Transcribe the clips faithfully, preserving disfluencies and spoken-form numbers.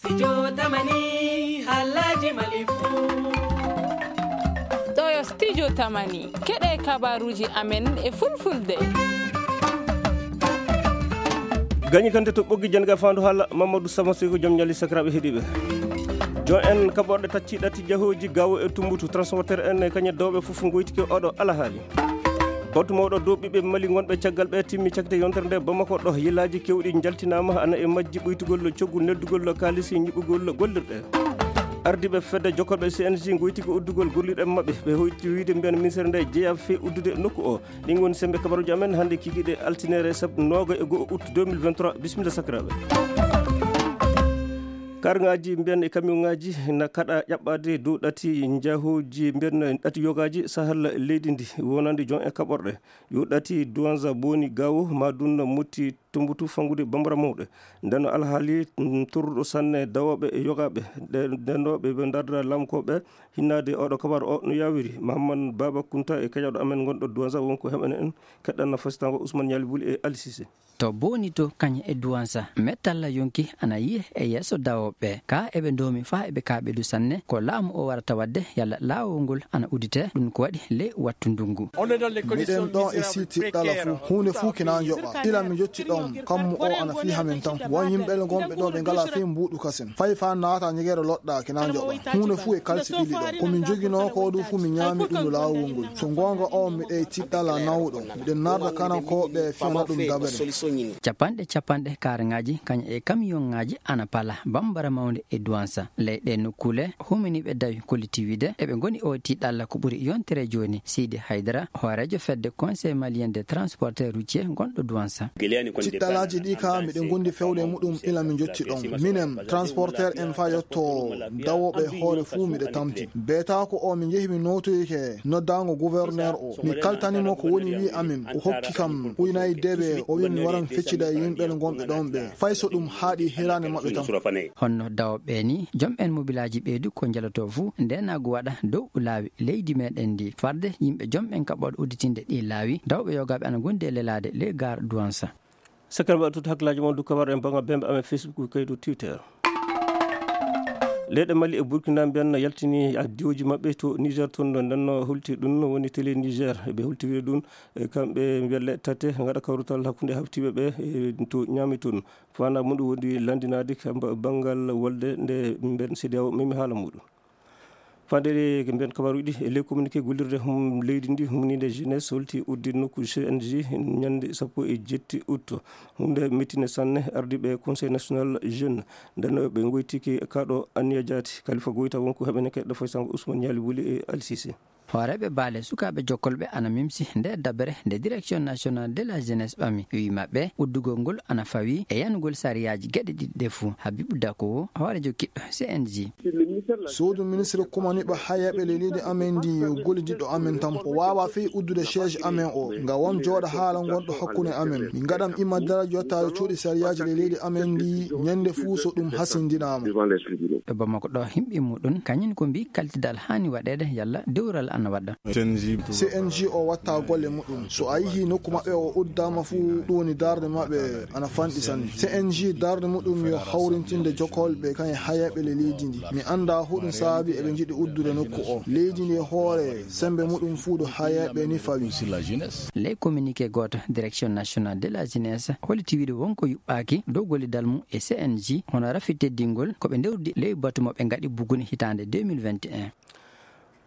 Studio Tamani, halaji Mali fu. Ɗo yo Studio Tamani, keɗe kabaruji amen e fulfulde. Gañi kante to ɓoggi janga fandu hala Mamadou Sama Seyko, jom ñali sakiraɓe heɗiɓe. Jon en kaɓorɗe tacci ɗati jahoji gawo e tumbutu transporteur en e kañe dowɓe fof goytike oɗo alahali. Batu mawɗo dow ɓiɓɓe Mali gonɓe caggal ɓe timmi cakte yontere nde Bamako ɗo. Yilaaji kewɗi jaltinaama, ana e majji ɓuytugol coggu neldugol kaalisi ñiɓɓugol gollirɗe. Ardiiɓe fedde jokkorɓe C N J goytike uddugol gollirɗe maɓɓe. Ɓe hoyti wiide mbiyan ministre nde jeyaa fee uddude nokku o. Ɗin woni sembe kabaruji amen hannde kikiɗe altinere sab-, nooga e go'o août deux mille vingt-trois. Bisimilla sakiraaɓe. Karŋaaji mbiyan e kamiyonŋaaji na kaɗa ƴaɓɓaade dow ɗati njahooji mbiyan ɗati yogaaji sahal leydi ndi wonande jon e kaɓorɗe. Yo ɗati Douanza Boni Gawo, ma dunna motti Tumbutu fangude bambara mawɗe. Nden no alhaali, mm, torruɗo sanne dawooɓe e yogaaɓe. Ɗe-, nden no ɓe, ɓe ndardira lamkooɓe hinnaade oɗo kabar o no yawiri. Mahamman Baba Kunta e keƴaɗo amen gonɗo Douanza wonko heɓana en keɗɗanna fasitango Ousmane Ñaali Buli e Ali Cissé. To Boni to kañe e Douanza, mettalla yonki ana yiye e yeeso dawooɓe. Ka eɓe ndoomi faa eɓe kaaɓidu sanne, ko laamu o warata waɗde yalla laawol ngol ana udite, ɗum ko waɗi ley wattu ndungu. Miɗen ɗon e siiti ɗala fuu, huunde fuu kina njoɓa. Ila mi jotti ɗon, kammu o ana fii hamen tan. Won yimɓe gonɓe ɗo ɓe ngalaa fii mbuuɗu kasen. Fay faa naata ñegere loɗɗa kina njoɓa. Huunde fuu e kalsi ɓili ɗon. Ko min joginoo ko ɗum fuu mi ñaami ɗum no laawol ngol. So goonga o miɗen tiɗɗala nawɗo. Miɗen narda kanankooɓe fiyana ɗum dabere. Capanɗe capanɗe kaarŋaaji kañum e kamiyonŋaaji ana pala bambara mawnde e Douanza. Ley ɗee nokkuule, huminiiɓe dawi kollitiiwide eɓe ngoni o tiɗɗalla ko ɓuri yontere jooni. Sidi Haydara, hooreejo fedde Conseil Malien des Transporteurs Routiers gonɗo Douanza. Tiɗɗalaaji ɗi ka miɗen gondi fewde e muɗum ila min jotti ɗon. Minen, transporteur en fa yotto dawooɓe hoore fuu miɗe tamti. Beetaako o mi njehi mi nootoyike noddaango gouverneur o. Mi kaltani mo ko woni wi amin. O hokki kam uynay debe o wi mi waran feccida e yimɓe gonɓe ɗon ɓe. Fay so ɗum haaɗi hiraande maɓɓe tan. Honno dawooɓe ni, jom en mobilaaji ɓeydu ko njaloto fuu ndenaagu waɗa dow laawi leydi meɗen ndi. Farde yimɓe jom en kaɓooɗo udditinde ɗi laawi, dawɓe yogaaɓe ana gondi e lelaade ley gaar Douanza. Sakiraaɓe, ɓe tut hakkilaaji mon dow kabar en banngal bembe amen Facebook, kayto Twitter. Leyɗe Mali e Burkina mbiyan no yaltini addiyoji maɓɓe to Niger toon, no ndenno holti ɗum no woni télé Niger. Ɓe holti wiide ɗum, e kamɓe mbiyan leyɗe tate ngaɗa kawrutal hakkunde haftiiɓe ɓe, e to ñaami toon. Fana muɗum woni lanndinaade kam ba-, banngal wolde nde mbiyan C D A O memi haala muɗum. Fande ko mbiyan kabaruɗi e ley communiqué gollirde hum leydi ndi humninde jeunesse holti uddi nokku C N J ñande sappo e jetti août. Hunde mettine sanne ardiiɓe Conseil National Jeune, nden ɓe goytiki kaɗo Aniya Jaati, Kalifa Goyta wonko heɓene keɗɗo fay sango Ousmane Ñaali Wuli e Ali Cissé. Hooreeɓe baale sukaaɓe jokkolɓe ana mimsi nde dabere nde Direction Nationale de la Jeunesse ɓami. Wi maɓɓe, uddugol ngol ana fawi e yanugol sariyaaji geɗe ɗiɗi ɗe fuu. Habibu Dako, hooreejo kiɗɗo C N J. Suudu ministre kumaniiɓe hayeeɓe ley leydi amen ndi gollidiɗɗo amen tan. O waawaa fii uddude siège amen o. Nga won jooɗa haala ngonɗo hakkunde amen. Min ngaɗam imma daraja yottaade cuuɗi sariyaaji ley leydi amen ndi ñande fuu so ɗum hasindinaama. Ɗo Bamako ɗo himɓe muɗum, kañum ko mbi kaltidal haani waɗeede yalla dewral ana waɗa. C N J o watta golle muɗum. So a yihi nokku maɓɓe o uddaama fuu, ɗum woni darde maɓɓe ana fanɗi sanne. C N J darde muɗum yo hawrintinde jokkolɓe kañe hayeeɓe le leydi ndi. Mi annda huɗum saabi eɓe njiɗi uddude nokku o. Leydi ndi e hoore sembe muɗum fuu ɗo hayeeɓe ni fawi. Ley communiqué gooto, Direction Nationale de la Jeunesse holliti wiide wonko yuɓɓaaki dow gollidal mum e C N J, hono rafi teddingol ko ɓe ndewdi ley batu mo ɓe ngaɗi buguni hitaande deux mille vingt et un.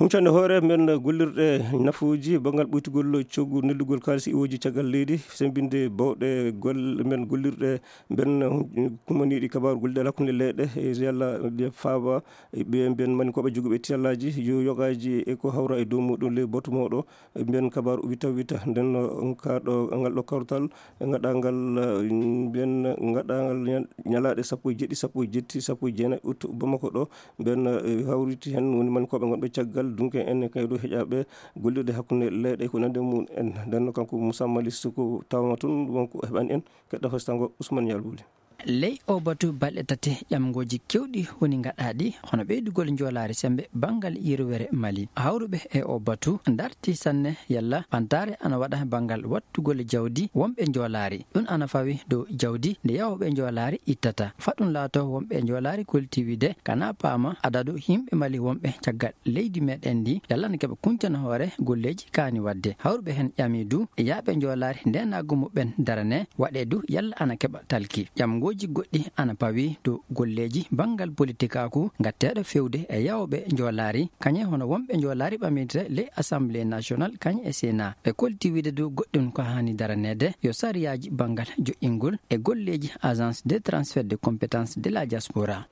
Huncande hoore men gollirɗe nafuuji banngal ɓuytugol coggu neldugol kaalisi iwooji caggal leydi, sembinde bawɗe golle men gollirɗe mben kumaniiɗi kabaaru gollidal hakkunde leyɗe, e yalla faaba ɓe mbiyan mani koɓe joguɓe tiyallaaji yo yogaaji e ko hawra e dow muɗum ley batu mawɗo. Mbiyan kabaaru wita wita, nden no ka ɗo, ngal ɗo kawtal, ngaɗangal, eh, mbiyan ngaɗangal ñal-, ñalaaɗe sappo e jeɗɗi, sappo e jetti, sappo e jeenayi août Bamako ɗo. Mbiyan, eh, hawriti heen woni mani koɓe ngonɓe caggal dunke en e kayɗo heƴaaɓe gollirde hakkunde leyɗe ko nande mum en. Nden no kanko Moussa Malick Sow ko tawma toon wonko heɓani en keɗɗo fasitango Ousmane Yalbuli. Ley oo batu, balɗe tati ƴamngooji keewɗi woni ngaɗaaɗi, hono ɓeydugol njoolaari semmbe banngal yirwere Mali. Hawruɓe e oo batu ndarti sanne yalla ɓantaare ana waɗa banngal wattugol jawdi wonɓe njoolaari. Ɗum ana fawi dow jawdi ndi yahooɓe njoolaari ittata. Faa ɗum laatoo, wonɓe njoolaari kolti wiide kana paama adadu yimɓe Mali wonɓe caggal leydi meɗen ndi, yalla ana keɓa kuncana hoore golleeji kaani waɗde. Hawruɓe heen ƴami du yahɓe njoolaari ndeenaagu muɓɓen darane, waɗee du yalla ana keɓa talki. Ƴamngooji goɗɗi ana pawi dow golleeji banngal politikaaku ngatteeɗo feewde e yahooɓe njoolaari, kañe hono wonɓe njoolaari ɓamirde ley Assemblée nationale kañe e Sénat. Ɓe kolti wiide du goɗɗum ko haani daraneede yo sariyaaji banngal joƴƴingol e golleeji Agence de transfert de compétence de la diaspora.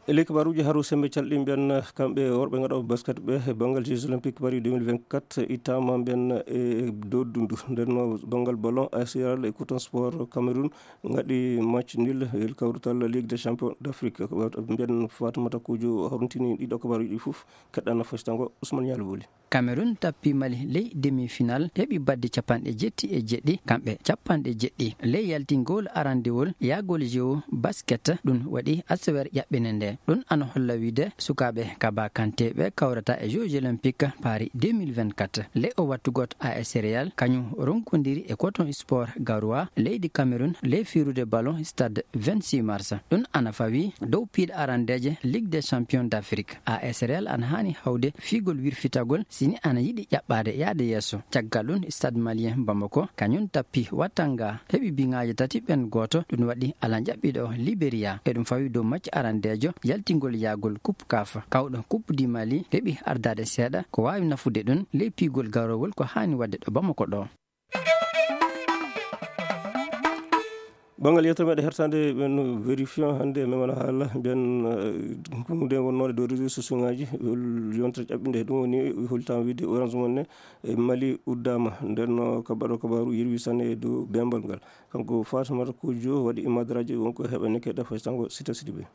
E ley kabaaruuji, haro semmbe calɗi mbiyan kamɓe worɓe ngaɗooɓe basket ɓe e banngal Jeux Olympiques Paris deux mille vingt-quatre ittaama mbiyan e dow dundu. Nden no banngal ballon, A S R L e Coton Sport Cameroun ngaɗi match nul e kawrutal Ligue des Champions d'Afrique. Mbiyan Fatimata Kojo horntini ɗiɗo kabaaruuji ɗi fof. Keɗɗana fasitango Ousmane Nialo Boli. Cameroun tappi Mali ley demi-final, heɓi badde capanɗe jetti e jeɗɗi, kamɓe capanɗe jeɗɗi. Ley yaltingol arandewol yahgol Jeux basket, ɗum waɗi asewer ƴaɓɓine nde. Ɗum ana holla wiide sukaaɓe Kaba Kanté ɓe kawrata e Jeux Olympiques Paris deux mille vingt-quatre. Ley o wattu gooto, A S Real kañum ronkondiri e Coton Sport Garoua leydi Cameroun ley fiirude ballon stade vingt-six mars. Ɗum ana fawi dow piiɗe arandeeje Ligue des Champions d'Afrique. A S Real ana haani hawde fiigol wirfitagol si ni ana yiɗi ƴaɓɓaade yaade yeeso. Caggal ɗum, Stade Malien Bamako kañum tappi Watanga, heɓi biŋaaji tati ɓen gooto. Ɗum waɗi alan ƴaɓɓiiɗo Liberia. E ɗum fawi dow macce arandeejo yaltingol yahgol Coupe CAF. Kawɗo Coupe du Mali heɓi ardaade seeɗa. Ko waawi nafude ɗum ley piigol garowol ko haani waɗde ɗo Bamako ɗo. Banngal yewtere meɗen hertande ɓen vérifiant hannde e memana haala mbiyan, eh, hunde wonnode dow réseaux sociaux ngaji, yontere ƴaɓɓinde. Ɗum woni hollitam wiide Orange Money e Mali uddaama. Nden no kabaɗo kabaaru yirwi sanne e dow bembal ngal. Kanko Fatimata Kojo waɗi imadraji wonko heɓa nekke ɗa fasitango Sita Sidibe.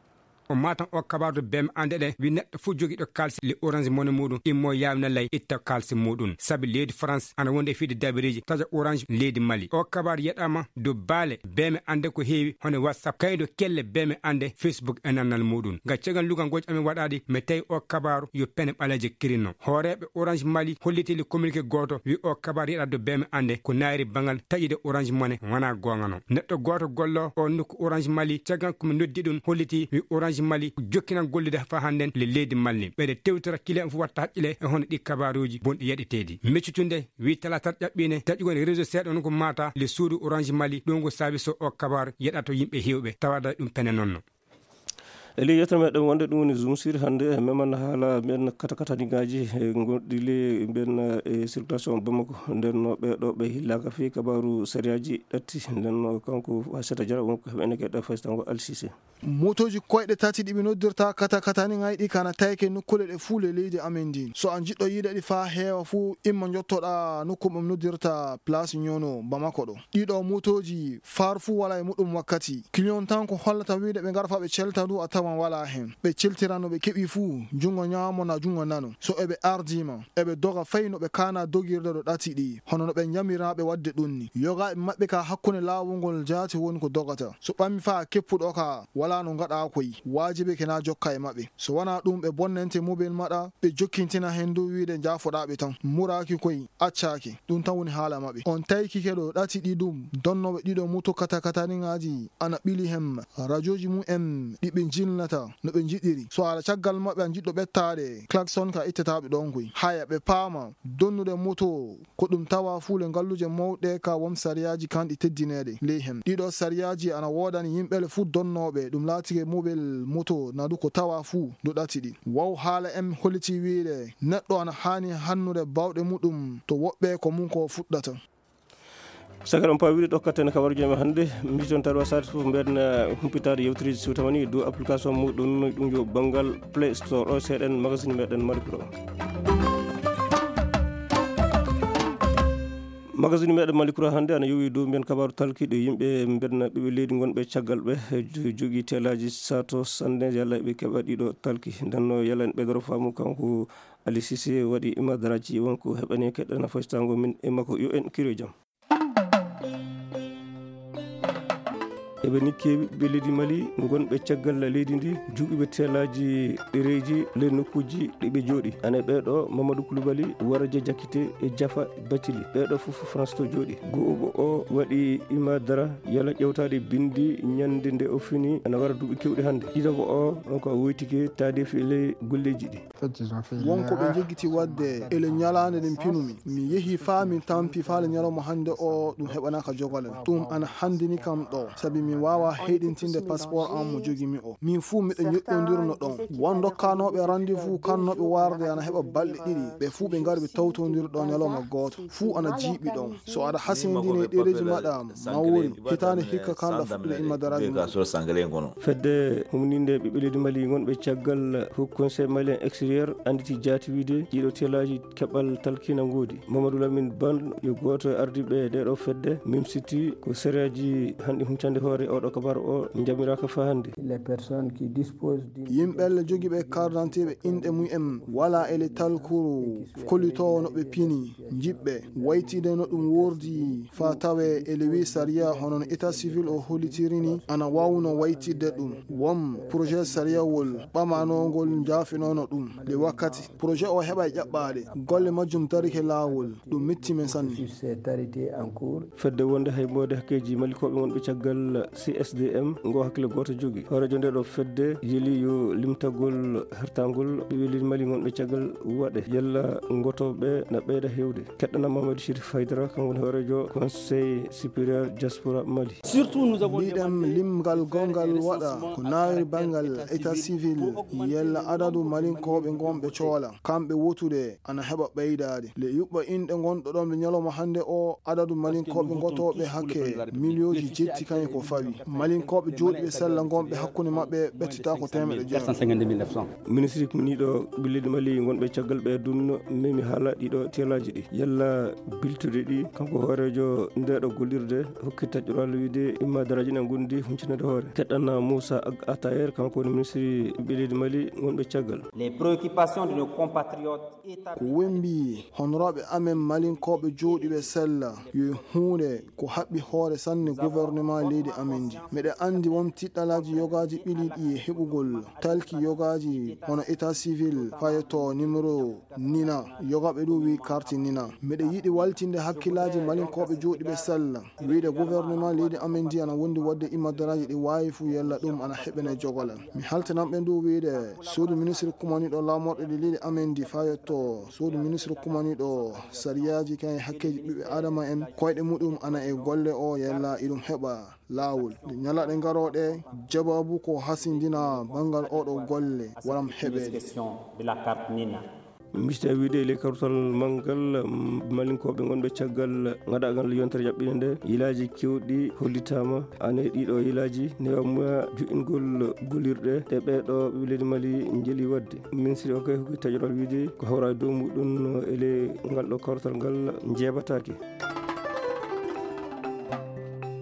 O matan o kabaru to beme ande ɗe wi neɗɗo fof jogiɗo kalsi le Orange Money muɗum immo yawna lay itta kalsi muɗum. Sabi leydi France ana wonde e fide dabireji taƴa Orange leydi Mali. O kabaru yeɗama dow baale beme ande ko heewi hono WhatsApp, kaydo kelle beme ande Facebook e nannal muɗum. Nga cegan lugal ngoji amin waɗaɗi mi tawi o kabaru yo pene ɓaleeje kirinno. Hooreɓe Orange Mali holliti le communiqué goto wi o kabaru yeɗa dow beme ande ko nairi bangal taƴude Orange Money wona gongano. Neɗɗo goto gollo o nokku Orange Mali, caggal ko mi noddi ɗum, holliti wi Orange Mali ko jokkinan gollude fa hannden le leydi Mali. Ɓeɗe tewtora kile on fof watta haqqile e hono ɗi kabaruji bonɗi yaɗeteɗi. Meccutunde wi talatat ƴaɓɓine taƴugol réseau seeɗa on ko mata le suudu Orange Mali, ɗum ko saabi so o kabaru yeɗato yimɓe hewɓe tawada ɗum pene nonno. E ley yettere meɗen wonde ɗum woni Zoom Sir hannde, meman haala mbiyen kata kataniŋaaji, e gonɗi ley mbiyen, e circulation Bamako. Nden no ɓe ɗo ɓe hillaaka fii kabaaru sariyaaji ɗatti. Nden no kanko Fassata Jara wonko heɓene keɗɗa fasitango Alsise. Motooji koyɗe tati ɗi ɓe noddirta kata kataniŋaaji ɗi kana tawke nokkuule ɗe fuu ley leydi amen ndin. So a jiɗɗo yiide ɗi faa heewa fuu, imma njottoɗaa nokku ɓe noddirta Place Ñono Bamako ɗo. Ɗiɗo motooji far fuu wala e muɗum wakkati. Client tan ko hollata wiide ɓe ngara faa ɓe celta ndu a tawan wala hen. Ɓe celtira no ɓe keɓi fuu, jungo ñaamo na jungo nano. So eɓe ardima, eɓe doga fay no ɓe kana dogirde ɗo ɗati ɗi, hono no ɓe njamira ɓe wadde ɗum ni. Yogaaɓe maɓɓe ka hakkunde laawol ngol jaati woni ko dogata. So ɓammi faa keppuɗo ka, wala no ngaɗa koy, waajibi ke na jokka e maɓɓe. So wana ɗum ɓe bonnente mobel maɗa, ɓe jokkintina hen dow wiide njaafoɗaa ɓe tan. Muraaki koy, accaaki. Ɗum tan woni haala maɓɓe. On taykike ɗo ɗati ɗi ɗum, donnooɓe ɗiɗo moto katakataniŋaaji ana ɓili hem rajooji mum en ɗi ɓe njilnata no ɓe njiɗiri. So ala caggal maɓɓe a jiɗɗo ɓettaade, klaxon ka ittetaaɓe ɗon koy. Haya ɓe paama, donnude moto ko ɗum tawa fuu le ngalluje mawɗe ka won sariyaaji kanɗi teddineede ley hem. Ɗiɗo sariyaaji ana woodani yimɓe le fuu donnooɓe, ɗum laatike mobel moto na du ko tawa fuu du ɗati ɗi. Waw haala en holliti wiide neɗɗo ana haani hannude bawɗe muɗum to woɓɓe ko mum ko fuɗɗata. Saka ɗon pawi ɗo katten kabaruji men hannde, mi ton tawa sat fof mbiyen, eh, humpitaade yewtereeji siwtama ni dow application muɗum, ɗum yo banngal Play Store o seeɗen magazine meɗen Mali Pro. Magazine meɗen Mali Pro hannde ana yowi dow mbiyen kabaru talkiiɗo yimɓe mbiyen ɓiɓɓe leydi ngonɓe caggal ɓe, eh, jo-, jogii telaaji sato sannde yalla ɓe keɓa ɗiɗo talki. Nden no yalla en ɓeydoro faamu kanko Ali Cissé waɗi imadraji wonko heɓani keɗɗana fasitango min e makko yo en kiro jam. Eɓe nikki ɓiɓɓe leydi Mali ngonɓe caggal leydi ndi, juuɓiɓe teelaaji ɗereeji ley nokkuuji ɗi ɓe jooɗi. Ana e ɓee ɗoo, Mamadou Koulibaly, Waraja Jakite e Jafa Bacili. Ɓee ɗoo fof France to jooɗi. Go'oɓo o waɗi Imadara yala ƴewtaade binndi ñande nde o fini, ana wara duuɓi keewɗi hannde. Ɗiɗaɓo o, on ko o woytike taadeefi e ley golleeji ɗi. Wonko ɓe njeggiti waɗde e le ñalaande nde pinumi. Mi yehi faa mi tampi faa le ñalawma hannde o, ɗum heɓanaaka jogalal. Ɗum ana hanndini kam ɗo, sabi mi waawaa heyɗintinde passeport am mo jogimi o. Min fuu miɗo ñoƴƴondirno ɗon. Won dokkanooɓe rendez-vous kannooɓe warde ana heɓa balɗe ɗiɗi. Ɓe fuu ɓe ngari ɓe tawtondiri ɗo ñalawma gooto. Fuu ana jiiɓi ɗon. So aɗa hasindini e ɗereeji maɗa, mawori, hitaande hikka kan ɗa fuɗɗude imma daraaji mum. Fedde humninde ɓiɓɓe leydi Mali ngonɓe caggal Haut Conseil Malien Extérieur annditi jaati wiide ɗiɗo teelaaji keɓal talkina ngoodi. Mamadou Lamine Ban yo gooto e ardiiɓe ɗee ɗoo fedde, mimsiti ko sariyaaji hanɗi huncande hoore oo ɗoo kabaru o njamiraaka faa hannde. Les personnes qui disposent d'une Yimɓe jogiiɓe carte d'identité ɓe inɗe mum en wala e le talkuru kollitoowo no ɓe pini, jiɓɓe waytide no ɗum wordi faa tawe e le wi sariya hono no état civil o hollitiri ni ana waawno waytidde ɗum. Won projet sariyawol ɓamanongol njaafinono ɗum le wakkati. Projet o heɓa e ƴaɓɓaade. Golle majjum darike laawol. Ɗum metti men sanne. Sur ces tarités en cours. Fedde wonde hay mboode hakkeeji malikooɓe wonɓe caggal C S D M ngo hakkille gooto jogi. Hooreejo nde ɗo fedde yeli yo limtagol hertangol ɓe weliri Mali wonɓe caggal waɗe. Yalla ngotooɓe na ɓeyda heewde. Keɗɗana Mamadou Chérif Haydara, kanko woni hooreejo Conseil Supérieur Diaspora Mali. Surtout, nous avons Mbiɗen demandé limgal gongal waɗa ko naawiri banngal état civil, yalla adadu malinkooɓe ngonɓe coola, kamɓe wotude ana heɓa ɓeydaade. Le yuɓɓa inɗe ngonɗo ɗon ɓe ñalawma hannde o, adadu malinkooɓe ngotooɓe hakke miliyooji jetti kañum ko fawi. Malinkooɓe jooɗiiɓe sella ngonɓe hakkunde maɓɓe ɓettata ko teemeɗɗe jeego. Ministre miniiɗo ɓiɓɓe leydi Mali ngonɓe caggal ɓe dunno memi haala ɗiɗo teelaaji ɗi. Yalla biltude ɗi, kanko hooreejo ndeeɗo gollirde hokki taƴoral wiide imma daraaji na ngondi huncinaade hoore. Keɗɗana Moussa Ag Atayer, kanko woni ministre ɓiɓɓe leydi Mali ngonɓe caggal. Les préoccupations de nos compatriotes établis. Ko wembi honoraaɓe amen malinkooɓe jooɗiiɓe sella yo huunde ko haɓɓi hoore sanne gouvernement leydi amen ndi. Miɗa anndi won tiɗɗalaaji yogaaji ɓiliiɗi e heɓugol talki yogaaji hono état civil fayetto numéro nina, yogaaɓe ɗum wi carte nina. Miɗa yiɗi waltinde hakkillaaji malinkooɓe jooɗiiɓe sella. Wiide gouvernement leydi amen ndi ana wondi waɗde imadaraaji ɗi waawi fuu yalla ɗum ana heɓene jogolal. Mi haltanan ɓe ndu wiide suudu ministre kumaniiɗo laamorɗe ɗe leydi amen ndi fayetto suudu ministre kumaniiɗo sariyaaji kan e hakkeeji ɓiɓɓe aadama en koyɗe muɗum ana e golle o yalla iɗum heɓa laawol. Nde ñalaaɗe garooɗe, jabaabu ko hasindina banngal oɗo golle waram heɓeede. Question de la carte nina. Mista wiide e ley kawtal manngal, mm, malinkooɓe ngonɓe caggal ngaɗaagal yontere jaɓɓinde nde, yilaaji keewɗi hollitaama. Ana e ɗiɗo yilaaji, newamuya juɗɗingol gollirɗe ɗe ɓeeɗo ɓiɓɓe leydi Mali njeli waɗde. Ministre o kay hokki taƴoral wiide ko hawra e dow muɗum e ley ngal ɗo kawtal ngal njeebataake.